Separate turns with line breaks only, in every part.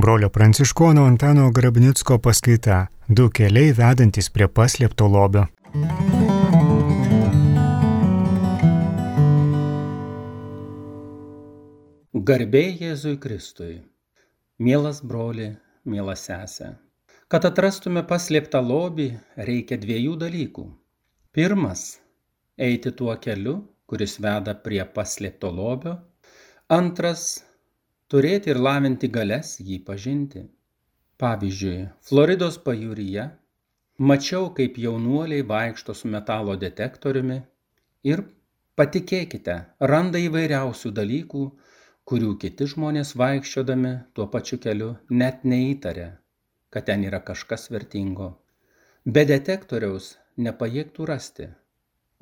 brolio pranciškono Antano Grabnicko paskaita Du keliai vedantys prie paslėpto lobio.
Garbė Jėzui Kristui. Mielas broli, miela sesė. Kad atrastume paslėptą lobį, reikia dviejų dalykų. Pirmas – eiti tuo keliu, kuris veda prie paslėpto lobio. Antras – turėti ir lavinti galias jį pažinti. Pavyzdžiui, Floridos pajūryje mačiau, kaip jaunuoliai vaikšto su metalo detektoriumi ir, patikėkite, randa įvairiausių dalykų, kurių kiti žmonės vaikščiodami tuo pačiu keliu net neįtarė, kad ten yra kažkas vertingo. Be detektoriaus nepajėgtų rasti,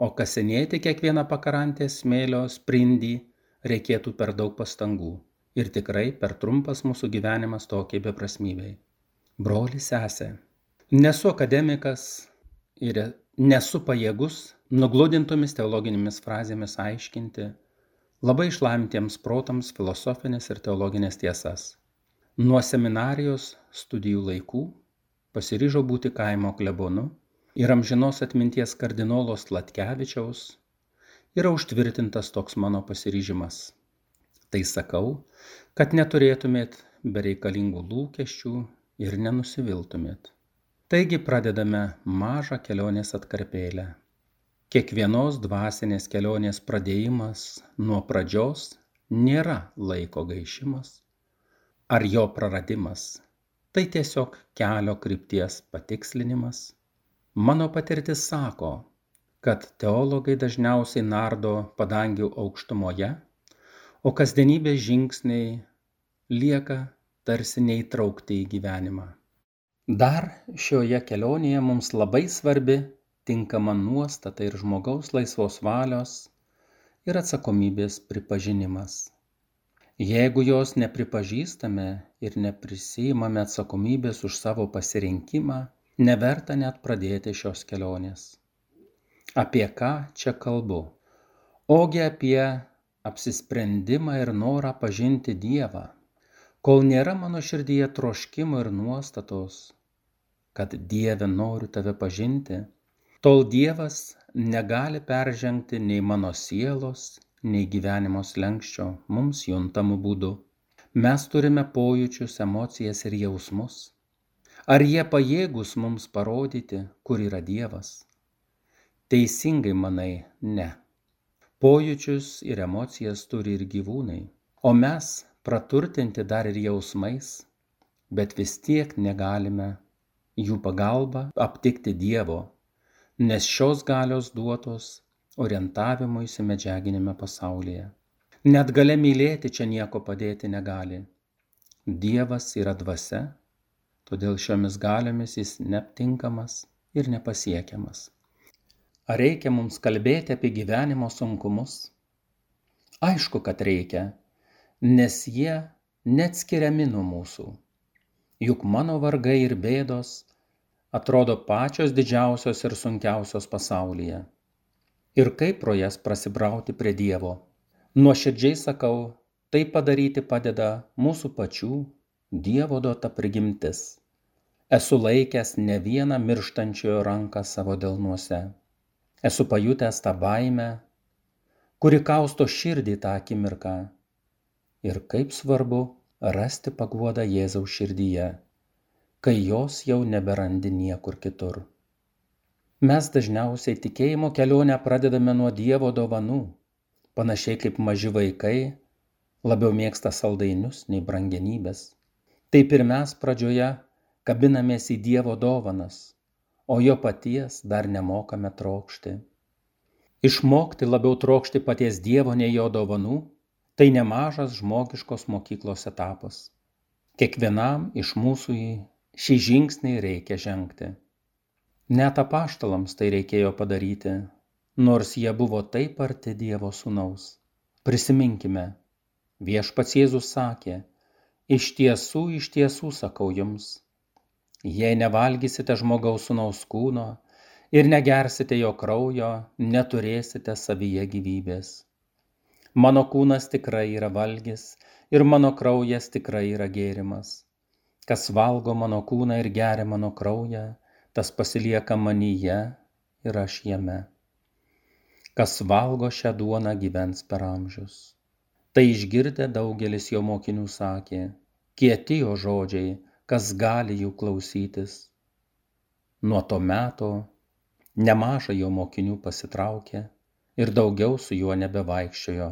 o kasinėti kiekvieną pakrantės smėlio sprindį reikėtų per daug pastangų ir tikrai per trumpas mūsų gyvenimas tokiai beprasmybei. Broli, sesė, nesu akademikas ir nesu pajėgus nugludintomis teologinėmis frazėmis aiškinti labai išlavintiems protams filosofinės ir teologinės tiesas. Nuo seminarijos studijų laikų pasiryžau būti kaimo klebonu ir amžinos atminties kardinolo Sladkevičiaus yra užtvirtintas toks mano pasiryžimas. Tai sakau, kad neturėtumėt bereikalingų lūkesčių ir nenusiviltumėt. Taigi pradedame mažą kelionės atkarpėlę. Kiekvienos dvasinės kelionės pradėjimas nuo pradžios nėra laiko gaišimas ar jo praradimas. Tai tiesiog kelio krypties patikslinimas. Mano patirtis sako, kad teologai dažniausiai nardo padangių aukštumoje, o kasdienybės žingsniai lieka tarsi neįtraukti į gyvenimą. Dar šioje kelionėje mums labai svarbi tinkama nuostata ir žmogaus laisvos valios ir atsakomybės pripažinimas. Jeigu jos nepripažįstame ir neprisiimame atsakomybės už savo pasirinkimą, neverta net pradėti šios kelionės. Apie ką čia kalbu? Ogi apie apsisprendimą ir norą pažinti Dievą. Kol nėra mano širdyje troškimo ir nuostatos, kad Dieve noriu tave pažinti, tol Dievas negali peržengti nei mano sielos, nei gyvenimo slenksčio mums juntamų būdų. Mes turime pojūčius, emocijas ir jausmus. Ar jie pajėgūs mums parodyti, kur yra Dievas? Teisingai manai, ne. Pojūčius ir emocijas turi ir gyvūnai, o mes praturtinti dar ir jausmais, bet vis tiek negalime jų pagalba aptikti Dievo, nes šios galios duotos orientavimuisi medžiaginiame pasaulyje. Net galia mylėti čia nieko padėti negali. Dievas yra dvasia, todėl šiomis galiomis jis neaptinkamas ir nepasiekiamas. Ar reikia mums kalbėti apie gyvenimo sunkumus? Aišku, kad reikia, nes jie neatskiriami nuo mūsų. Juk mano vargai ir bėdos atrodo pačios didžiausios ir sunkiausios pasaulyje. Ir kaip pro jas prasibrauti prie Dievo? Nuoširdžiai sakau, tai padaryti padeda mūsų pačių Dievo duota prigimtis. Esu laikęs ne vieną mirštančiojo ranką savo delnuose. Esu pajutęs tą baimę, kuri kausto širdį tą akimirką. Ir kaip svarbu rasti paguodą Jėzaus širdyje, kai jos jau neberandi niekur kitur. Mes dažniausiai tikėjimo kelionę pradedame nuo Dievo dovanų, panašiai kaip maži vaikai labiau mėgsta saldainius nei brangenybės. Taip ir mes pradžioje kabinamės į Dievo dovanas, o jo paties dar nemokame trokšti. Išmokti labiau trokšti paties Dievo nei jo dovanų, tai nemažas žmogiškos mokyklos etapas. Kiekvienam iš mūsų šį žingsnį reikia žengti. Net apaštalams tai reikėjo padaryti, nors jie buvo taip arti Dievo sūnaus. Prisiminkime, viešpats Jėzus sakė, iš tiesų sakau jums, jei nevalgysite žmogaus sūnaus kūno ir negersite jo kraujo, neturėsite savyje gyvybės. Mano kūnas tikrai yra valgis ir mano kraujas tikrai yra gėrimas. Kas valgo mano kūną ir geria mano kraują, tas pasilieka manyje ir aš jame. Kas valgo šią duoną gyvens per amžius. Tai išgirdę daugelis jo mokinių sakė, kieti jo žodžiai, kas gali jų klausytis. Nuo to meto nemaža jo mokinių pasitraukė ir daugiau su juo nebevaikščiojo.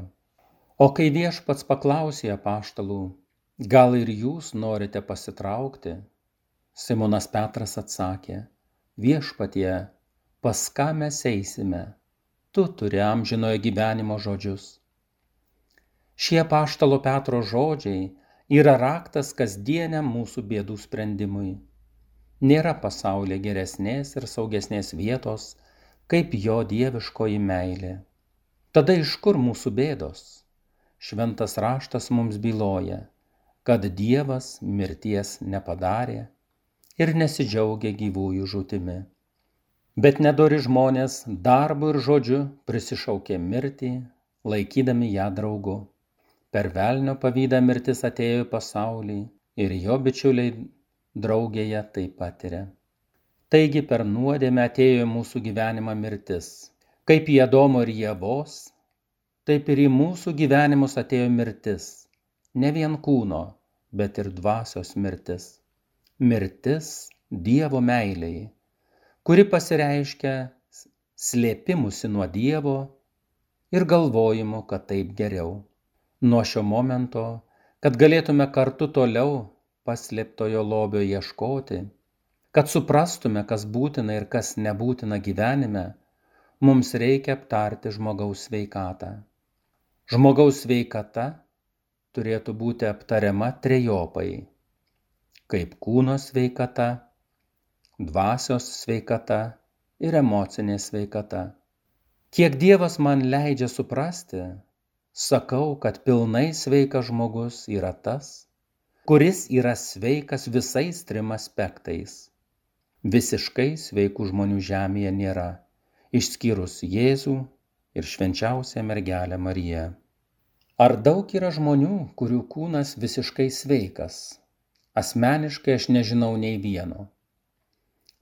O kai viešpats paklausė apaštalų, gal ir jūs norite pasitraukti? Simonas Petras atsakė, viešpatie, pas ką mes eisime? Tu turi amžinojo gyvenimo žodžius. Šie apaštalo Petro žodžiai yra raktas kasdieniam mūsų bėdų sprendimui. Nėra pasaulyje geresnės ir saugesnės vietos, kaip jo dieviškoji meilė. Tada iš kur mūsų bėdos? Šventas raštas mums byloja, kad Dievas mirties nepadarė ir nesidžiaugia gyvųjų žūtimi. Bet nedori žmonės darbu ir žodžiu prisišaukė mirtį, laikydami ją draugu. Per velnio pavydą mirtis atėjo į pasaulį ir jo bičiuliai draugėje tai patiria. Taigi per nuodėmę atėjo į mūsų gyvenimą mirtis. Kaip į Adomo ir Ievos, taip ir į mūsų gyvenimus atėjo mirtis. Ne vien kūno, bet ir dvasios mirtis. Mirtis Dievo meilei, kuri pasireiškia slėpimusi nuo Dievo ir galvojimu, kad taip geriau. Nuo šio momento, kad galėtume kartu toliau paslėptojo lobio ieškoti, kad suprastume, kas būtina ir kas nebūtina gyvenime, mums reikia aptarti žmogaus sveikatą. Žmogaus sveikata turėtų būti aptariama trejopai, kaip kūno sveikata, dvasios sveikata ir emocinė sveikata. Kiek Dievas man leidžia suprasti, sakau, kad pilnai sveikas žmogus yra tas, kuris yra sveikas visais 3 aspektais. Visiškai sveikų žmonių žemėje nėra, išskyrus Jėzų ir švenčiausią mergelę Mariją. Ar daug yra žmonių, kurių kūnas visiškai sveikas? Asmeniškai aš nežinau nei vieno.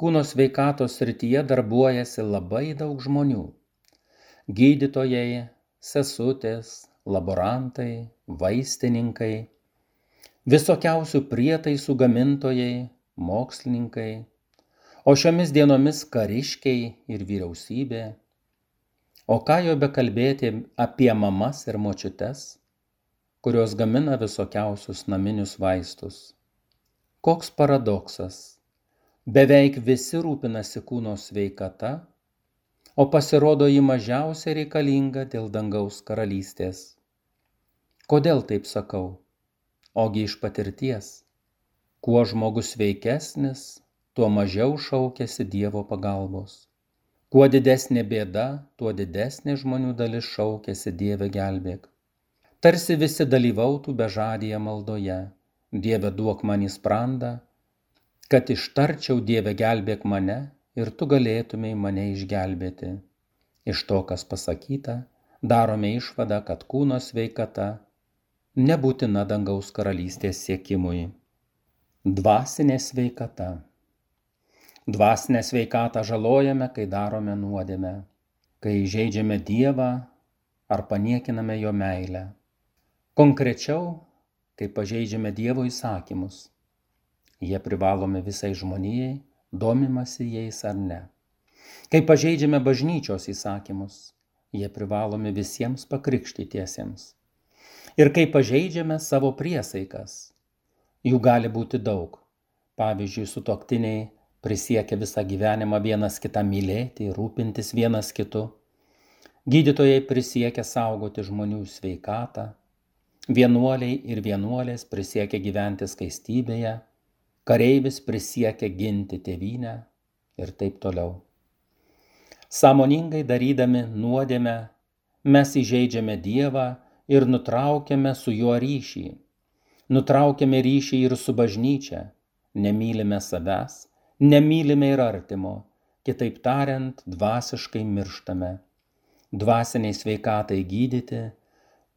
Kūno sveikatos srityje darbuojasi labai daug žmonių. Gydytojai, sesutės, laborantai, vaistininkai, visokiausių prietaisų gamintojai, mokslininkai, o šiomis dienomis kariškiai ir vyriausybė. O ką jau bekalbėti apie mamas ir močiutes, kurios gamina visokiausius naminius vaistus. Koks paradoksas. Beveik visi rūpinasi kūno sveikata, o pasirodo ji mažiausiai reikalinga dėl dangaus karalystės. Kodėl taip sakau? Ogi iš patirties. Kuo žmogus sveikesnis, tuo mažiau šaukiasi Dievo pagalbos. Kuo didesnė bėda, tuo didesnė žmonių dalis šaukiasi Dieve gelbėk. Tarsi visi dalyvautų bežadyje maldoje. Dieve duok man į sprandą, kad ištarčiau Dieve gelbėk mane ir tu galėtumei mane išgelbėti. Iš to, kas pasakyta, darome išvadą, kad kūno sveikata nebūtina dangaus karalystės siekimui. Dvasinė sveikata. Dvasinę sveikatą žalojame, kai darome nuodėmę, kai įžeidžiame Dievą ar paniekiname jo meilę. Konkrečiau, kai pažeidžiame Dievo įsakymus. Jie privalomi visai žmonijai, domimasi jais ar ne. Kai pažeidžiame bažnyčios įsakymus, jie privalomi visiems pakrikštytiesiems. Ir kai pažeidžiame savo priesaikas, jų gali būti daug. Pavyzdžiui, sutuoktiniai prisiekia visą gyvenimą vienas kitą mylėti, rūpintis vienas kitu. Gydytojai prisiekia saugoti žmonių sveikatą. Vienuoliai ir vienuolės prisiekia gyventi skaistybėje. Kareivis prisiekia ginti tėvynę ir taip toliau. Sąmoningai darydami nuodėmę, mes įžeidžiame Dievą ir nutraukiame su juo ryšį. Nutraukiame ryšį ir su bažnyčia, nemylime savęs, nemylime ir artimo, kitaip tariant, dvasiškai mirštame. Dvasiniai sveikatai gydyti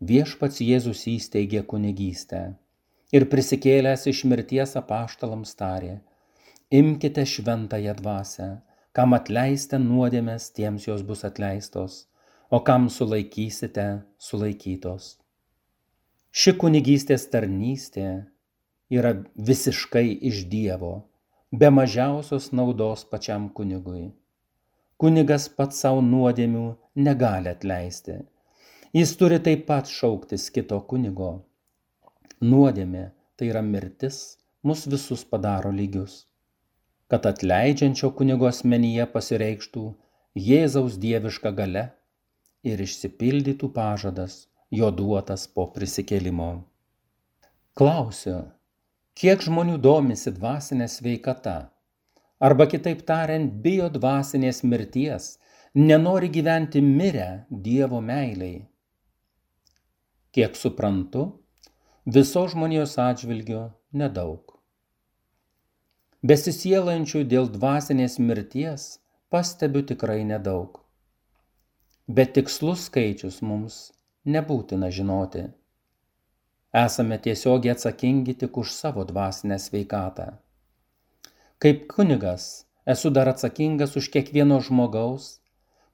viešpats Jėzus įsteigė kunigystę. Ir prisikėlęs iš mirties apaštalams tarė: imkite šventąją dvasią, kam atleisite nuodėmes, tiems jos bus atleistos, o kam sulaikysite, sulaikytos. Ši kunigystės tarnystė yra visiškai iš Dievo, be mažiausios naudos pačiam kunigui. Kunigas pats savo nuodėmių negali atleisti. Jis turi taip pat šauktis kito kunigo. Nuodėmė, tai yra mirtis, mus visus padaro lygius. Kad atleidžiančio kunigo asmenyje pasireikštų Jėzaus dieviška galia ir išsipildytų pažadas, jo duotas po prisikėlimo. Klausiu, kiek žmonių domisi dvasinė sveikata, arba kitaip tariant, bijo dvasinės mirties, nenori gyventi mirę Dievo meiliai? Kiek suprantu, viso žmonijos atžvilgiu nedaug. Besisielančių dėl dvasinės mirties pastebiu tikrai nedaug. Bet tikslus skaičius mums nebūtina žinoti. Esame tiesiogiai atsakingi tik už savo dvasinę sveikatą. Kaip kunigas esu dar atsakingas už kiekvieno žmogaus,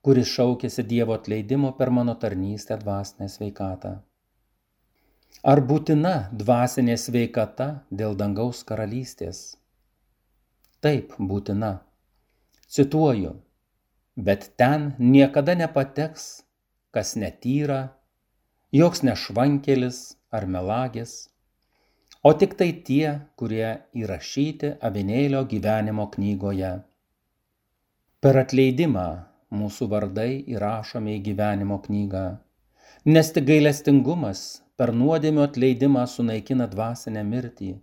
kuris šaukėsi Dievo atleidimo per mano tarnystę dvasinę sveikatą. Ar būtina dvasinė sveikata dėl dangaus karalystės? Taip, būtina. Cituoju, bet ten niekada nepateks, kas netyra, joks nešvankelis ar melagis, o tik tai tie, kurie įrašyti avinėlio gyvenimo knygoje. Per atleidimą mūsų vardai įrašomi į gyvenimo knygą, nes tik gailestingumas per nuodėmių atleidimą sunaikina dvasinę mirtį.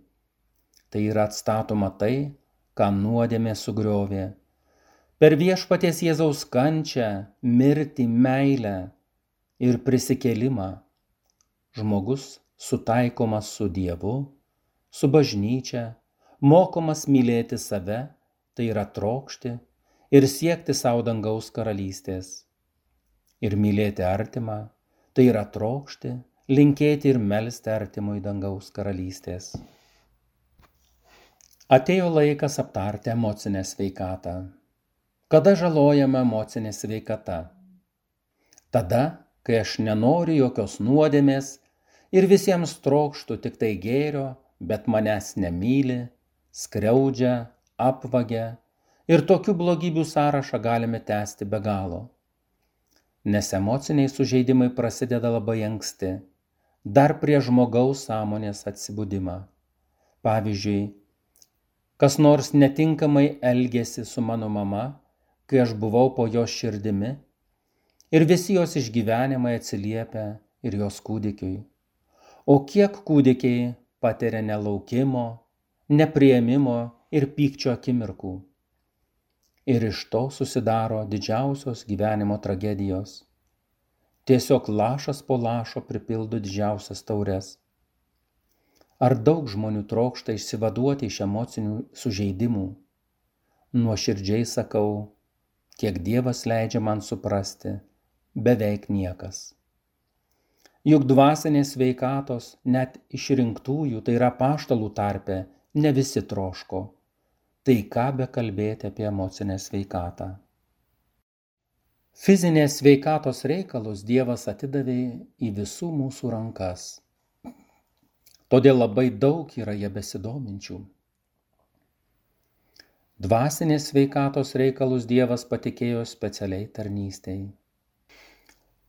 Tai yra atstatoma tai, ką nuodėmė sugriovė. Per viešpaties Jėzaus kančią, mirtį, meilę ir prisikėlimą žmogus sutaikomas su Dievu, su bažnyčia, mokomas mylėti save, tai yra trokšti ir siekti savo dangaus karalystės. Ir mylėti artimą, tai yra trokšti, linkėti ir melsti artimui dangaus karalystės. Atėjo laikas aptarti emocinę sveikatą. Kada žalojama emocinė sveikata? Tada, kai aš nenoriu jokios nuodėmės ir visiems trokštu tik tai gėrio, bet manęs nemyli, skriaudžia, apvagia ir tokių blogybių sąrašą galime tęsti be galo. Nes emociniai sužeidimai prasideda labai anksti, dar prie žmogaus sąmonės atsibudimą. Pavyzdžiui, kas nors netinkamai elgėsi su mano mama, kai aš buvau po jos širdimi, ir visi jos išgyvenimai atsiliepia ir jos kūdikiui. O kiek kūdikiai patiria nelaukimo, nepriėmimo ir pykčio akimirkų. Ir iš to susidaro didžiausios gyvenimo tragedijos. Tiesiog lašas po lašo pripildo didžiausias taures. Ar daug žmonių trokšta išsivaduoti iš emocinių sužeidimų? Nuoširdžiai sakau, kiek Dievas leidžia man suprasti, beveik niekas. Juk dvasinės sveikatos net išrinktųjų, tai yra apaštalų tarpe, ne visi troško. Tai ką bekalbėti apie emocinę sveikatą? Fizinės sveikatos reikalus Dievas atidavė į visų mūsų rankas. Todėl labai daug yra jie besidominčių. Dvasinės sveikatos reikalus Dievas patikėjo specialiai tarnystei.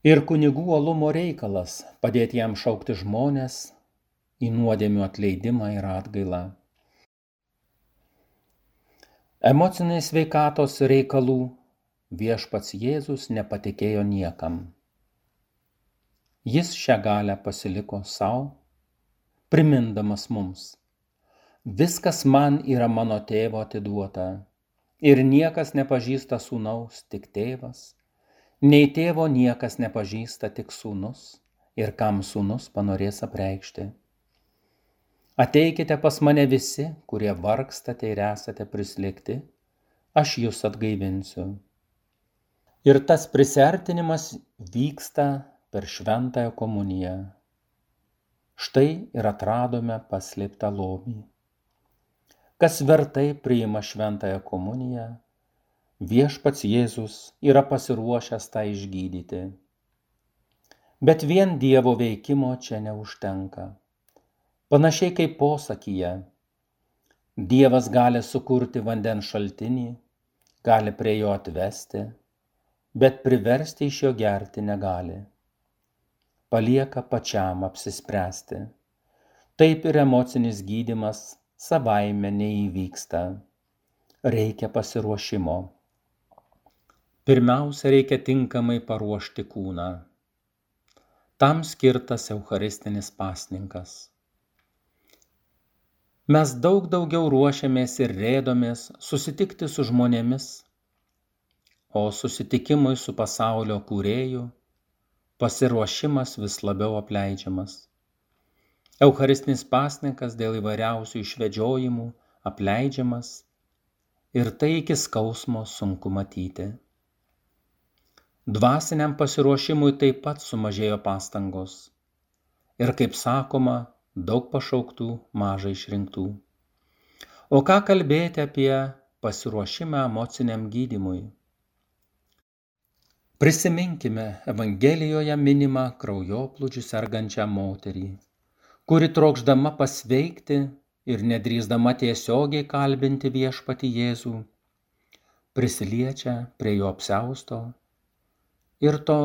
Ir kunigų uolumo reikalas padėti jam šaukti žmones į nuodėmių atleidimą ir atgailą. Emocinės sveikatos reikalų viešpats Jėzus nepatikėjo niekam. Jis šią galią pasiliko sau, primindamas mums: viskas man yra mano tėvo atiduota, ir niekas nepažįsta sūnaus, tik tėvas, nei tėvo niekas nepažįsta, tik sūnus, ir kam sūnus panorės apreikšti. Ateikite pas mane visi, kurie vargstate ir esate prislėgti, aš jus atgaivinsiu. Ir tas prisiartinimas vyksta per šventąją komuniją. Štai ir atradome paslėptą lobį. Kas vertai priima šventąją komuniją, viešpats Jėzus yra pasiruošęs tą išgydyti. Bet vien Dievo veikimo čia neužtenka. Panašiai kaip posakyje, Dievas gali sukurti vandens šaltinį, gali prie jo atvesti, bet priversti iš jo gerti negali. Palieka pačiam apsispręsti. Taip ir emocinis gydymas savaime neįvyksta. Reikia pasiruošimo. Pirmiausia, reikia tinkamai paruošti kūną. Tam skirtas eucharistinis pasninkas. Mes daug daugiau ruošiamės ir rėdomės susitikti su žmonėmis, o susitikimui su pasaulio kūrėju pasiruošimas vis labiau apleidžiamas. Eucharistinis pasninkas dėl įvairiausių išvedžiojimų apleidžiamas ir tai iki skausmo sunku matyti. Dvasiniam pasiruošimui taip pat sumažėjo pastangos ir, kaip sakoma, daug pašauktų, mažai išrinktų. O ką kalbėti apie pasiruošimą emociniam gydymui? Prisiminkime Evangelijoje minimą kraujoplūdžiu sergančią moterį, kuri trokšdama pasveikti ir nedrįsdama tiesiogiai kalbinti viešpatį Jėzų, prisiliečia prie jo apsiausto ir to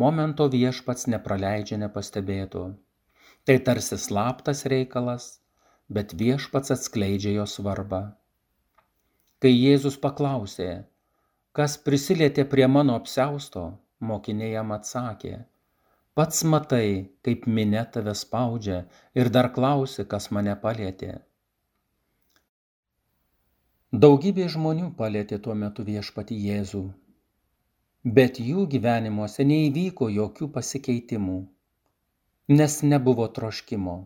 momento viešpats nepraleidžia nepastebėto. Tai tarsi slaptas reikalas, bet viešpats atskleidžia jo svarbą. Kai Jėzus paklausė, kas prisilietė prie mano apsiausto, mokiniai jam atsakė, pats matai, kaip minia tave spaudžia ir dar klausi, kas mane palietė. Daugybė žmonių palietė tuo metu viešpatį Jėzų, bet jų gyvenimuose neįvyko jokių pasikeitimų, nes nebuvo troškimo.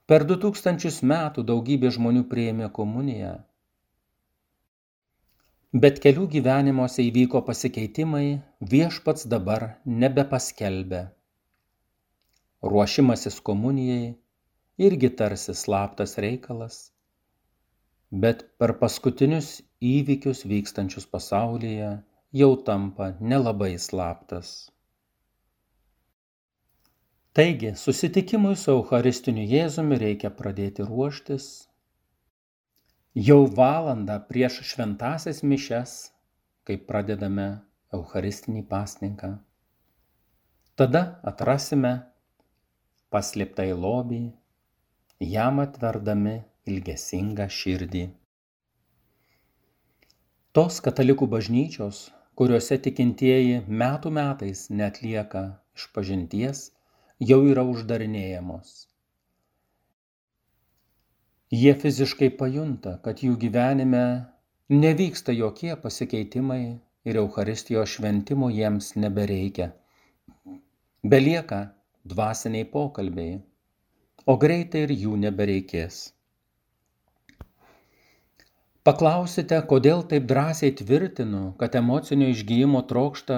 Per 2000 metų daugybė žmonių priėmė komuniją, bet kelių gyvenimuose įvyko pasikeitimai, viešpats dabar nebepaskelbia. Ruošimasis komunijai irgi tarsi slaptas reikalas, bet per paskutinius įvykius vykstančius pasaulyje jau tampa nelabai slaptas. Taigi, susitikimui su Eucharistiniu Jėzumi reikia pradėti ruoštis jau valandą prieš šventąsias mišias, kai pradedame Eucharistinį pasninką. Tada atrasime paslėptąjį lobį, jam atverdami ilgesingą širdį. Tos katalikų bažnyčios, kuriuose tikintieji metų metais neatlieka išpažinties, jau yra uždarinėjamos. Jie fiziškai pajunta, kad jų gyvenime nevyksta jokie pasikeitimai ir Eucharistijos šventimo jiems nebereikia. Belieka dvasiniai pokalbiai, o greitai ir jų nebereikės. Paklausite, kodėl taip drąsiai tvirtinu, kad emocinio išgijimo trokšta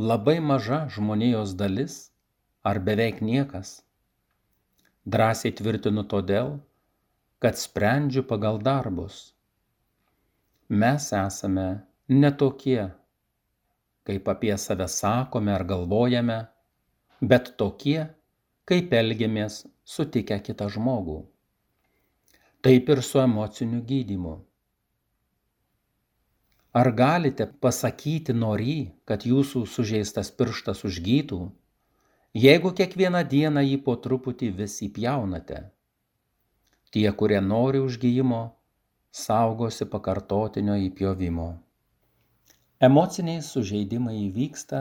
labai maža žmonijos dalis ar beveik niekas. Drąsiai tvirtinu todėl, kad sprendžiu pagal darbus. Mes esame ne tokie, kaip apie save sakome ar galvojame, bet tokie, kaip elgiamės sutikę kitą žmogų. Taip ir su emociniu gydymu. Ar galite pasakyti norį, kad jūsų sužeistas pirštas užgytų, jeigu kiekvieną dieną jį po truputį vis įpjaunate? Tie, kurie nori užgijimo, saugosi pakartotinio įpjovimo. Emociniai sužeidimai įvyksta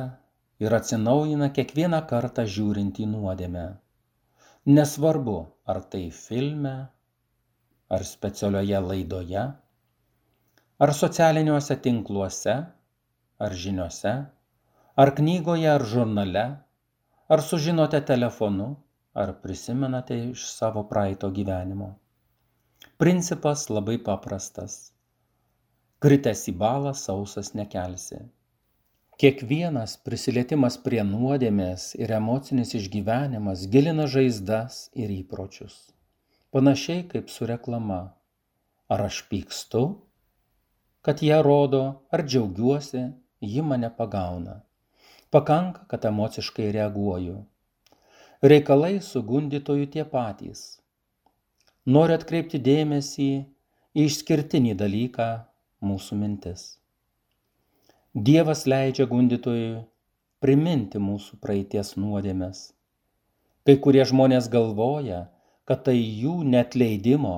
ir atsinaujina kiekvieną kartą žiūrint į nuodėmę. Nesvarbu, ar tai filme, ar specialioje laidoje, ar socialiniuose tinkluose, ar žiniose, ar knygoje, ar žurnale, ar sužinote telefonu, ar prisimenate iš savo praeito gyvenimo. Principas labai paprastas. Kritęs į balą sausas nekelsi. Kiekvienas prisilietimas prie nuodėmės ir emocinis išgyvenimas gilina žaizdas ir įpročius. Panašiai kaip su reklama. Ar aš pykstu, kad ją rodo, ar džiaugiuosi, ji mane pagauna. Pakanka, kad emociškai reaguoju. Reikalai su gundytoju tie patys. Noriu atkreipti dėmesį į išskirtinį dalyką – mūsų mintis. Dievas leidžia gundytojui priminti mūsų praeities nuodėmes. Kai kurie žmonės galvoja, kad tai jų neatleidimo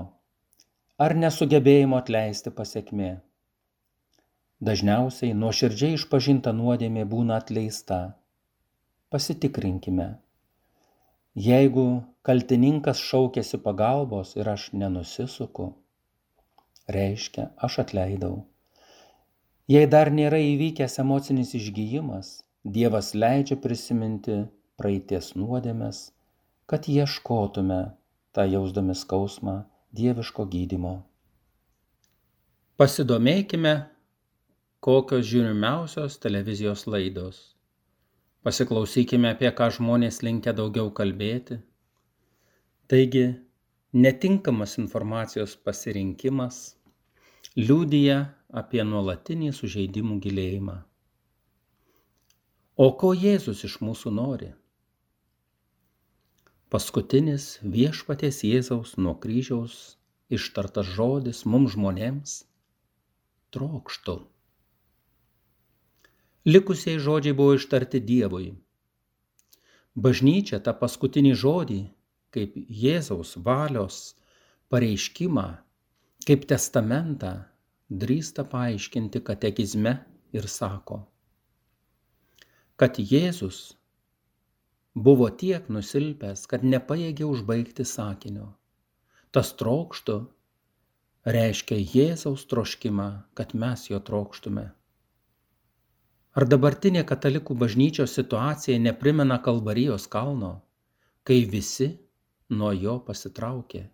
ar nesugebėjimo atleisti pasekmė. Dažniausiai nuoširdžiai išpažinta nuodėmė būna atleista. Pasitikrinkime. Jeigu kaltininkas šaukiasi pagalbos ir aš nenusisuku, reiškia, aš atleidau. Jei dar nėra įvykęs emocinis išgijimas, Dievas leidžia prisiminti praeities nuodėmes, kad ieškotume, tą jausdami skausmą, dieviško gydymo. Pasidomėkime, kokios žiūrimiausios televizijos laidos. Pasiklausykime, apie ką žmonės linkę daugiau kalbėti. Taigi, netinkamas informacijos pasirinkimas liudija apie nuolatinį sužeidimų gilėjimą. O ko Jėzus iš mūsų nori? Paskutinis Viešpaties Jėzaus nuo kryžiaus ištartas žodis mums žmonėms – trokštu. Likusiai žodžiai buvo ištarti Dievui. Bažnyčia tą paskutinį žodį, kaip Jėzaus valios pareiškimą, kaip testamentą, drįsta paaiškinti katekizme ir sako, kad Jėzus buvo tiek nusilpęs, kad nepajėgė užbaigti sakinio. Tas trokštu reiškia Jėzaus troškimą, kad mes jo trokštume. Ar dabartinė katalikų bažnyčios situacija neprimena Kalvarijos kalno, kai visi nuo jo pasitraukė?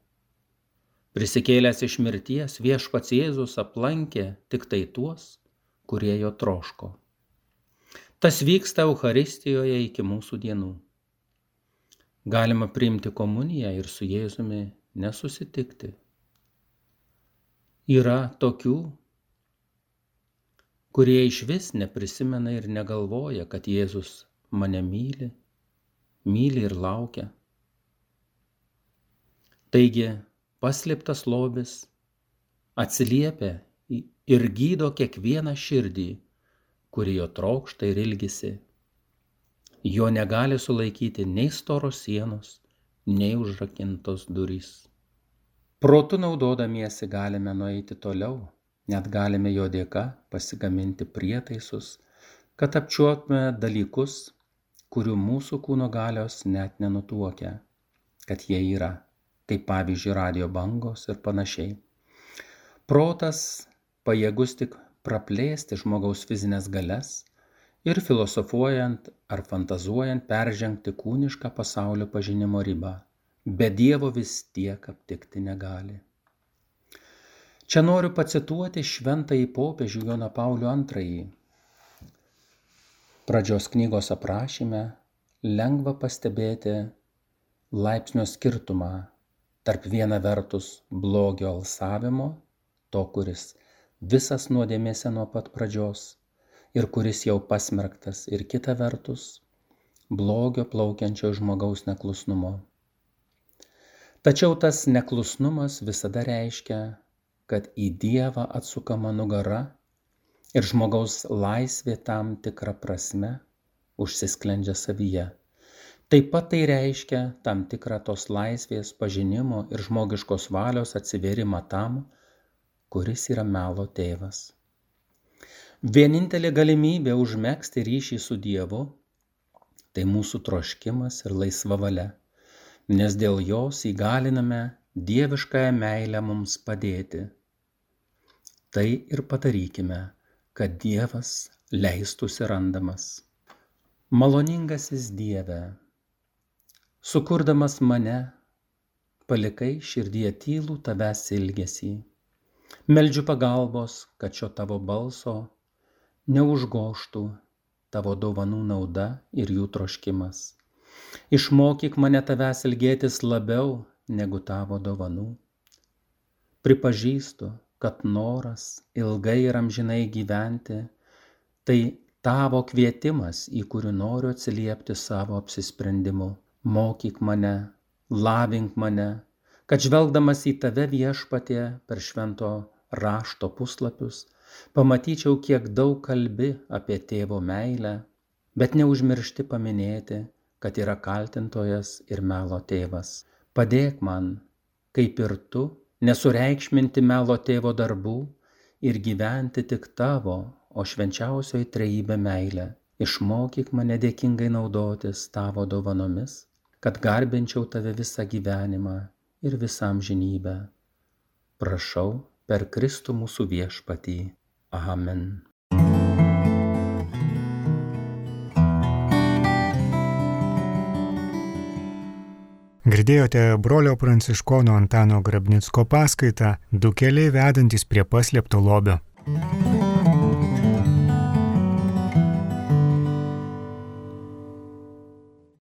Prisikėlęs iš mirties, Viešpats Jėzus aplankė tik tai tuos, kurie jo troško. Tas vyksta Eucharistijoje iki mūsų dienų. Galima priimti komuniją ir su Jėzumi nesusitikti. Yra tokių, kurie išvis neprisimena ir negalvoja, kad Jėzus mane myli ir laukia. Taigi, paslėptas lobis atsiliepia ir gydo kiekvieną širdį, kuri jo trokšta ir ilgisi. Jo negali sulaikyti nei storos sienos, nei užrakintos durys. Protu naudodamiesi galime nueiti toliau. Net galime jo dėka pasigaminti prietaisus, kad apčiuoptume dalykus, kurių mūsų kūno galios net nenutuokia, kad jie yra, kaip pavyzdžiui radijo bangos ir panašiai. Protas pajėgus tik praplėsti žmogaus fizinės galias ir filosofuojant ar fantazuojant peržengti kūnišką pasaulio pažinimo ribą, bet Dievo vis tiek aptikti negali. Čia noriu pacituoti šventąjį popiežių Joną Paulių II. Pradžios knygos aprašyme lengva pastebėti laipsnio skirtumą tarp viena vertus blogio alsavimo, to, kuris visas nuodėmėse nuo pat pradžios ir kuris jau pasmerktas, ir kita vertus blogio plaukiančio žmogaus neklusnumo. Tačiau tas neklusnumas visada reiškia, kad į Dievą atsukama nugara ir žmogaus laisvė tam tikrą prasme užsisklendžia savyje. Taip pat tai reiškia tam tikrą tos laisvės pažinimo ir žmogiškos valios atsivėrimą tam, kuris yra melo tėvas. Vienintelė galimybė užmegzti ryšį su Dievu – tai mūsų troškimas ir laisva valia, nes dėl jos įgaliname dieviškąją meilę mums padėti. Tai ir padarykime, kad Dievas leistųsi randamas. Maloningasis Dieve, sukurdamas mane, palikai širdyje tylų tavęs ilgesį. Meldžiu pagalbos, kad šio tavo balso neužgožtų tavo dovanų nauda ir jų troškimas. Išmokyk mane tavęs ilgėtis labiau negu tavo dovanų. Pripažįstu, kad noras ilgai ir amžinai gyventi tai tavo kvietimas, į kurį noriu atsiliepti savo apsisprendimu. Mokyk mane, lavink mane, kad žvelgdamas į tave, Viešpatie, per švento rašto puslapius, pamatyčiau, kiek daug kalbi apie tėvo meilę, bet neužmiršti paminėti, kad yra kaltintojas ir melo tėvas. Padėk man, kaip ir tu, nesureikšminti melo tėvo darbų ir gyventi tik tavo, o švenčiausioji trejybė meilė. Išmokyk mane dėkingai naudotis tavo dovanomis, kad garbinčiau tave visą gyvenimą ir visą amžinybę. Prašau per Kristų mūsų Viešpatį. Amen.
Girdėjote brolio pranciškono Antano Grabnicko paskaitą 2 keliai vedantys prie paslėpto lobio.